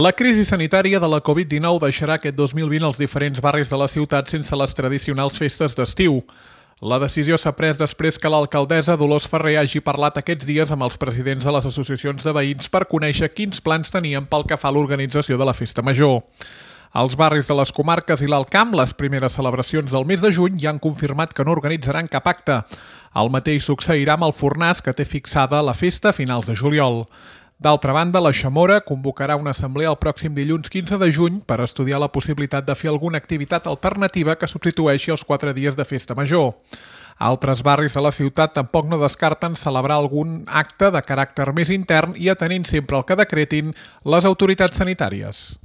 La crisi sanitària de la Covid-19 deixarà aquest 2020 els diferents barris de la ciutat sense les tradicionals festes d'estiu. La decisió s'ha pres després que l'alcaldessa Dolors Ferrer hagi parlat aquests dies amb els presidents de les associacions de veïns per conèixer quins plans tenien pel que fa a l'organització de la festa major. Els barris de les comarques i l'Alt Camp, les primeres celebracions del mes de juny, ja han confirmat que no organitzaran cap acte. El mateix succeirà amb el Fornàs, que té fixada la festa a finals de juliol. D'altra banda, la Xamora convocarà una assemblea el pròxim dilluns 15 de juny per estudiar la possibilitat de fer alguna activitat alternativa que substitueixi els 4 dies de festa major. Altres barris de la ciutat tampoc no descarten celebrar algun acte de caràcter més intern i atenint sempre el que decretin les autoritats sanitàries.